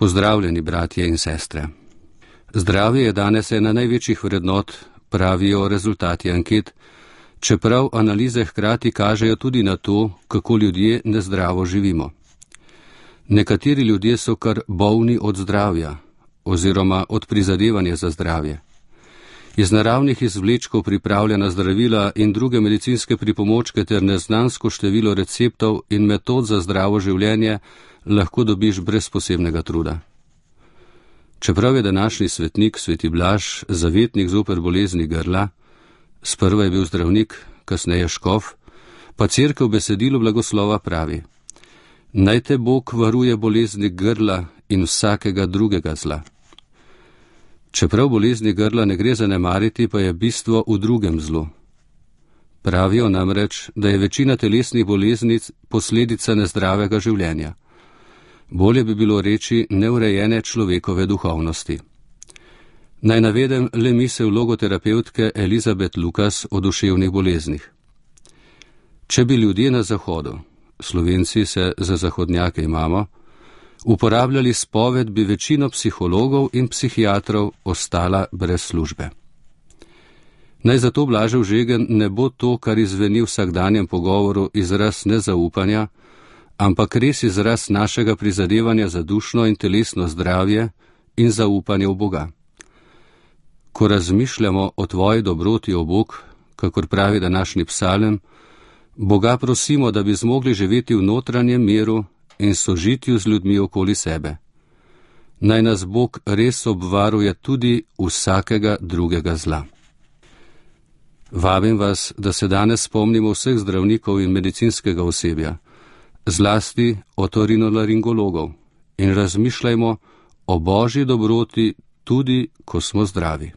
Pozdravljeni, bratje in sestre. Zdravje je danes ena največjih vrednot, pravijo rezultati anket, čeprav analize hkrati kažejo tudi na to, kako ljudje nezdravo živimo. Nekateri ljudje so kar bolni od zdravja oziroma od prizadevanja za zdravje. Iz naravnih izvlečkov pripravljena zdravila in druge medicinske pripomočke ter neznansko število receptov in metod za zdravo življenje lahko dobiš brez posebnega truda. Čeprav je današnji svetnik, sveti Blaž, zavetnik zoper bolezni grla, sprva je bil zdravnik, kasneje škof, pa cerkev besedilu blagoslova pravi: naj te Bog varuje bolezni grla in vsakega drugega zla. Čeprav bolezni grla ne gre zanemariti, pa je bistvo v drugem zlu. Pravijo namreč, da je večina telesnih boleznic posledica nezdravega življenja. Bolje bi bilo reči neurejene človekove duhovnosti. Naj navedem le misel logoterapevtke Elizabeth Lucas o duševnih boleznih. Če bi ljudje na Zahodu, Slovenci se za zahodnjake imamo, uporabljali spoved, bi večino psihologov in psihiatrov ostala brez službe. Naj zato Blažev žegen ne bo to, kar izveni v vsakdanjem pogovoru, izraz nezaupanja, ampak res izraz našega prizadevanja za dušno in telesno zdravje in zaupanje v Boga. Ko razmišljamo o tvoji dobroti, o Bog, kakor pravi današnji psalem, Boga prosimo, da bi zmogli živeti v notranjem miru in sožitju z ljudmi okoli sebe. Naj nas Bog res obvaruje tudi vsakega drugega zla. Vabim vas, da se danes spomnimo vseh zdravnikov in medicinskega osebja, zlasti otorinolaringologov, in razmišljajmo o Božji dobroti tudi, ko smo zdravi.